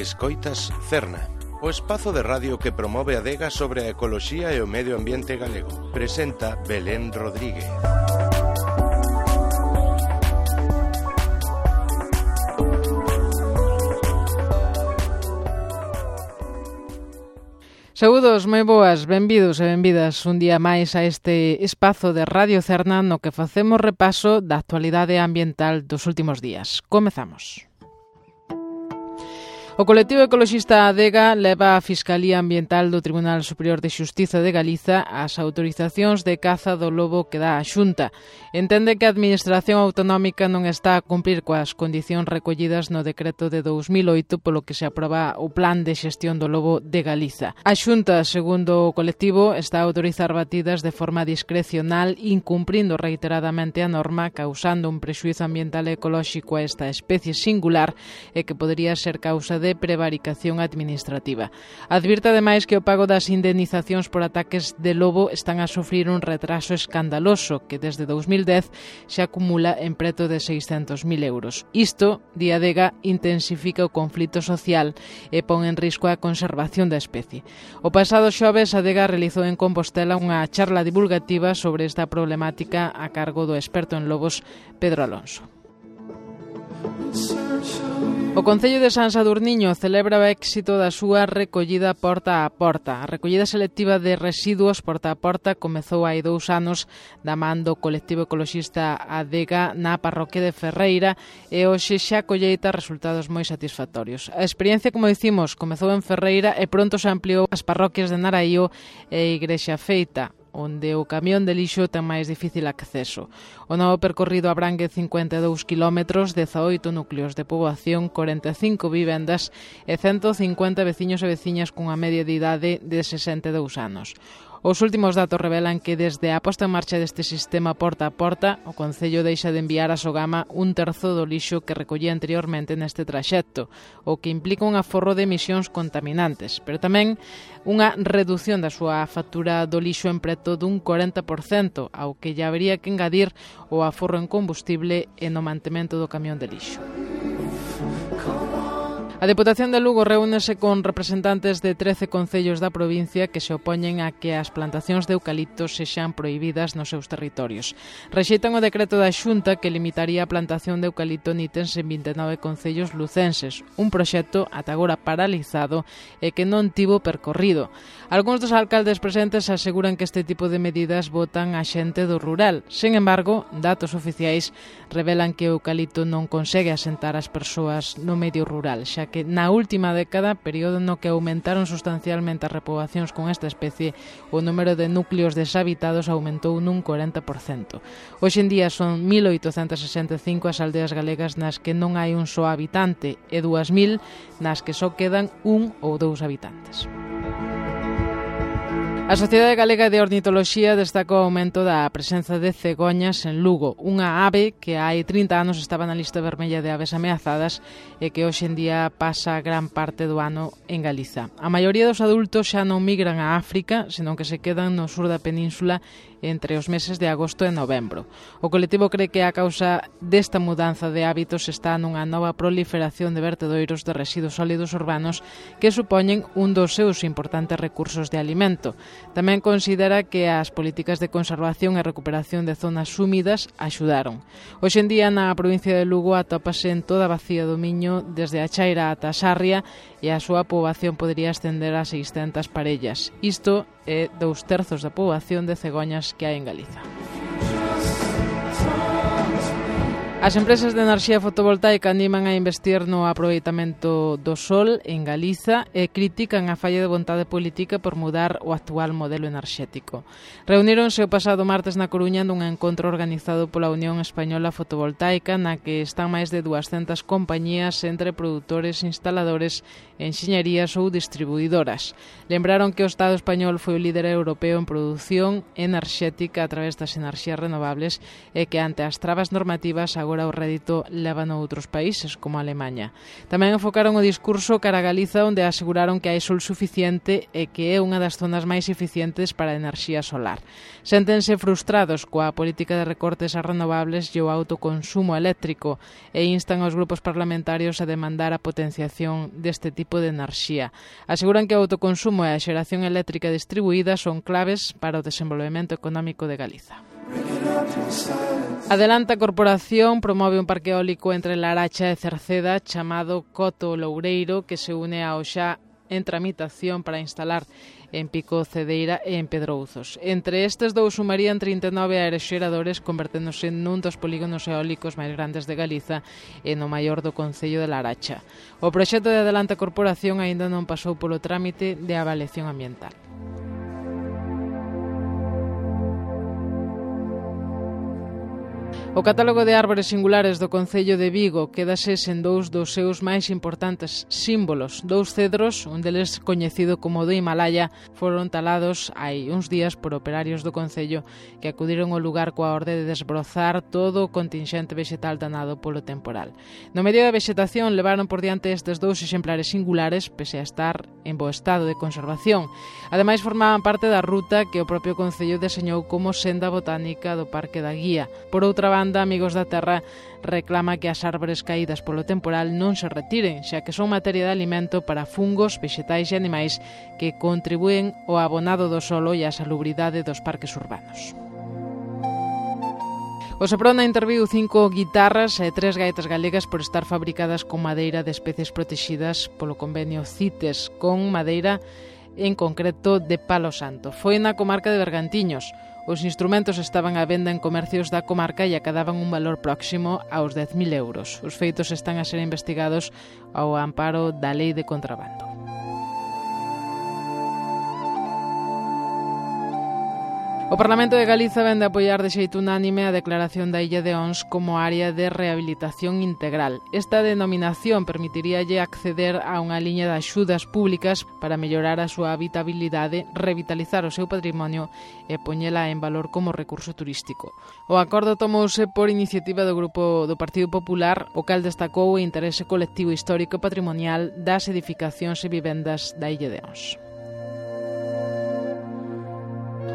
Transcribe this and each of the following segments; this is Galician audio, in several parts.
Escoitas Cerna, o espazo de radio que promove a adega sobre a ecoloxía e o medio ambiente galego. Presenta Belén Rodríguez. Saúdos, moi boas, benvidos e benvidas un día máis a este espazo de Radio Cerna no que facemos repaso da actualidade ambiental dos últimos días. Comezamos. O colectivo ecoloxista Adega leva a Fiscalía Ambiental do Tribunal Superior de Xustiza de Galiza as autorizacións de caza do lobo que dá a Xunta. Entende que a Administración Autonómica non está a cumprir coas condicións recollidas no decreto de 2008 polo que se aproba o Plan de Xestión do Lobo de Galiza. A Xunta, segundo o colectivo, está a autorizar batidas de forma discrecional, incumprindo reiteradamente a norma, causando un prexuízo ambiental e ecolóxico a esta especie singular e que podría ser causa de prevaricación administrativa. Advirte ademais que o pago das indemnizacións por ataques de lobo están a sufrir un retraso escandaloso que desde 2010 se acumula en preto de 600.000 euros. Isto, di Adega, intensifica o conflito social e pon en risco a conservación da especie. O pasado xoves, Adega realizou en Compostela unha charla divulgativa sobre esta problemática a cargo do experto en lobos Pedro Alonso. O Concello de San Sadurniño celebra o éxito da súa recollida porta a porta. A recollida selectiva de residuos porta a porta comezou hai 2 anos da man do colectivo ecoloxista Adega na parroquia de Ferreira e hoxe xa colleita resultados moi satisfactorios. A experiencia, como dicimos, comezou en Ferreira e pronto se ampliou ás parroquias de Naraío e Igrexa Feita, onde o camión de lixo ten máis difícil acceso. O novo percorrido abrangue 52 kilómetros, 18 núcleos de poboación, 45 vivendas e 150 veciños e veciñas cunha media de idade de 62 anos. Os últimos datos revelan que desde a posta en marcha deste sistema porta a porta, o Concello deixa de enviar a Sogama 1/3 do lixo que recollía anteriormente neste traxecto, o que implica un aforro de emisións contaminantes, pero tamén unha reducción da súa factura do lixo en preto dun 40%, ao que lle habería que engadir o aforro en combustible e no mantemento do camión de lixo. A Deputación de Lugo reúnese con representantes de 13 concellos da provincia que se opoñen a que as plantacións de eucaliptos sexan prohibidas nos seus territorios. Rexeitan o decreto da Xunta que limitaría a plantación de eucalipto nítens en 29 concellos lucenses, un proxecto ata agora paralizado e que non tivo percorrido. Algúns dos alcaldes presentes aseguran que este tipo de medidas botan a xente do rural. Sen embargo, datos oficiais revelan que o eucalipto non consegue asentar as persoas no medio rural, xa que na última década, período no que aumentaron sustancialmente as repoboacións con esta especie, o número de núcleos deshabitados aumentou nun 40%. Hoxe en día son 1.865 as aldeas galegas nas que non hai un só habitante e 2.000 nas que só quedan 1 ou 2 habitantes. A Sociedade Galega de Ornitoloxía destaca o aumento da presenza de cegoñas en Lugo, unha ave que hai 30 anos estaba na lista vermella de aves ameazadas e que hoxe en día pasa gran parte do ano en Galiza. A maioría dos adultos xa non migran a África, senón que se quedan no sur da península entre os meses de agosto e novembro. O colectivo cree que a causa desta mudanza de hábitos está nunha nova proliferación de vertedoiros de residuos sólidos urbanos que supoñen un dos seus importantes recursos de alimento. Tamén considera que as políticas de conservación e recuperación de zonas húmidas axudaron. Hoxe en día na provincia de Lugo atópase en toda a bacía do Miño desde a Chaira ata a Sarria e a súa poboación podría ascender a 600 parellas. Isto é 2/3 da poboación de cegoñas que hai en Galiza. As empresas de enerxía fotovoltaica animan a investir no aproveitamento do sol en Galiza e critican a falla de vontade política por mudar o actual modelo enerxético. Reuníronse o pasado martes na Coruña nun encontro organizado pola Unión Española Fotovoltaica na que están máis de 200 compañías entre produtores, instaladores, enxeñerías ou distribuidoras. Lembraron que o Estado español foi o líder europeo en produción enerxética a través das enerxías renovables e que ante as trabas normativas agora agora o rédito lévano a outros países, como a Alemanha. Tamén enfocaron o discurso cara a Galiza, onde aseguraron que hai sol suficiente e que é unha das zonas máis eficientes para a enerxía solar. Séntense frustrados coa política de recortes a renovables e o autoconsumo eléctrico e instan aos grupos parlamentarios a demandar a potenciación deste tipo de enerxía. Aseguran que o autoconsumo e a xeración eléctrica distribuída son claves para o desenvolvemento económico de Galiza. Adelanta Corporación promove un parque eólico entre Laracha e Cerceda chamado Coto Loureiro, que se une ao xa en tramitación para instalar en Pico Cedeira e en Pedrouzos. Entre estes dous sumarían 39 aeroxeradores, converténdose nun dos polígonos eólicos máis grandes de Galiza e no maior do concello de Laracha. O proxecto de Adelanta Corporación aínda non pasou polo trámite de avaliación ambiental. O catálogo de árbores singulares do concello de Vigo quédase sen dous dos seus máis importantes símbolos. Dous cedros, un deles coñecido como do Himalaya, foron talados hai uns días por operarios do concello que acudiron ao lugar coa orde de desbrozar todo o contingente vexetal danado polo temporal. No medio da vexetación levaron por diante estes dous exemplares singulares, pese a estar en bo estado de conservación. Ademais, formaban parte da ruta que o propio concello deseñou como senda botánica do Parque da Guía. Por outra banda, Amigos da Terra reclama que as árbores caídas polo temporal non se retiren, xa que son materia de alimento para fungos, vexetais e animais que contribúen ao abonado do solo e á salubridade dos parques urbanos. O Seprona interviu 5 guitarras e 3 gaitas galegas por estar fabricadas con madeira de especies protegidas polo convenio CITES, con madeira en concreto de Palo Santo. Foi na comarca de Bergantiños. Os instrumentos estaban á venda en comercios da comarca e acadaban un valor próximo aos 10.000 euros. Os feitos están a ser investigados ao amparo da Lei de Contrabando. O Parlamento de Galiza vende a apoiar de xeito unánime a declaración da Illa de Ons como área de rehabilitación integral. Esta denominación permitiríalle acceder a unha liña de axudas públicas para mellorar a súa habitabilidade, revitalizar o seu patrimonio e poñela en valor como recurso turístico. O acordo tomouse por iniciativa do Grupo do Partido Popular, o cal destacou o interese colectivo histórico e patrimonial das edificacións e vivendas da Illa de Ons.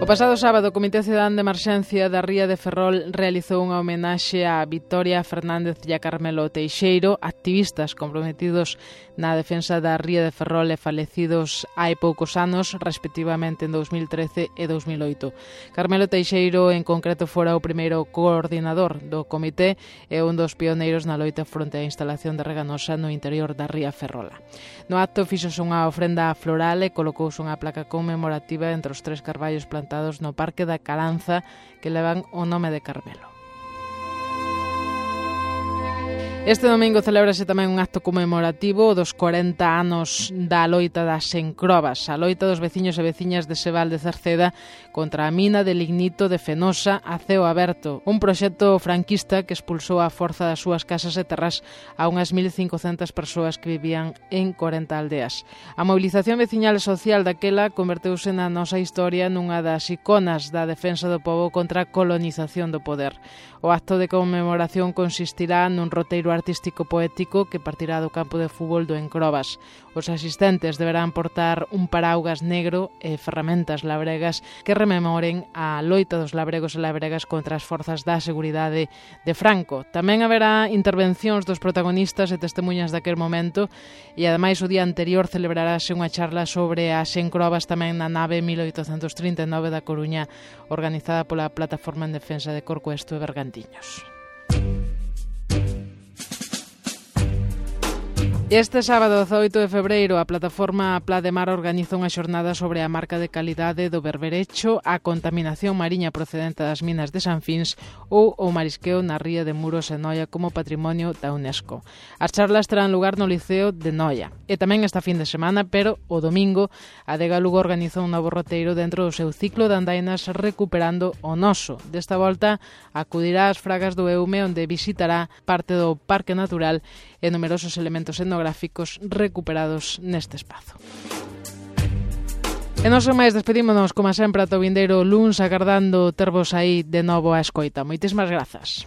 O pasado sábado, o Comité Cidadán de Emerxencia da Ría de Ferrol realizou unha homenaxe a Victoria Fernández e a Carmelo Teixeiro, activistas comprometidos na defensa da Ría de Ferrol e falecidos hai poucos anos, respectivamente en 2013 e 2008. Carmelo Teixeiro, en concreto, fora o primeiro coordinador do comité e un dos pioneiros na loita fronte á instalación de Reganosa no interior da Ría Ferrola. No acto fíxose unha ofrenda floral e colocouse unha placa conmemorativa entre os 3 carballos plantados no Parque da Caranza que levan o nome de Carmelo. Este domingo celébrase tamén un acto conmemorativo dos 40 anos da loita das Encrobas, a loita dos veciños e veciñas de Sebal de Cerceda contra a mina de lignito de Fenosa a ceo aberto, un proxecto franquista que expulsou a forza das súas casas e terras a unhas 1.500 persoas que vivían en 40 aldeas. A movilización veciñal e social daquela converteuse na nosa historia nunha das iconas da defensa do pobo contra a colonización do poder. O acto de conmemoración consistirá nun roteiro artístico poético que partirá do campo de fútbol do Encrobas. Os asistentes deberán portar un paraugas negro e ferramentas labregas que rememoren a loita dos labregos e labregas contra as forzas da seguridade de Franco. Tamén haberá intervencións dos protagonistas e testemunhas daquel momento e, ademais, o día anterior celebrarase unha charla sobre as Encrobas tamén na nave 1839 da Coruña, organizada pola Plataforma en Defensa de Corcoesto e Bergantiños. Este sábado 18 de febreiro a plataforma Pla de Mar organiza unha xornada sobre a marca de calidade do berberecho, a contaminación mariña procedente das minas de San Fins ou o marisqueo na ría de Muros e Noia como patrimonio da UNESCO. As charlas terán lugar no Liceo de Noia e tamén esta fin de semana, pero o domingo a Adega Lugo organiza un novo roteiro dentro do seu ciclo de andainas recuperando o noso. Desta volta acudirá ás Fragas do Eume, onde visitará parte do Parque Natural e numerosos elementos etnográficos recuperados neste espazo. E non son máis, despedímonos, como sempre, ata o vindeiro luns, agardando tervos aí de novo á escoita. Moitísimas grazas.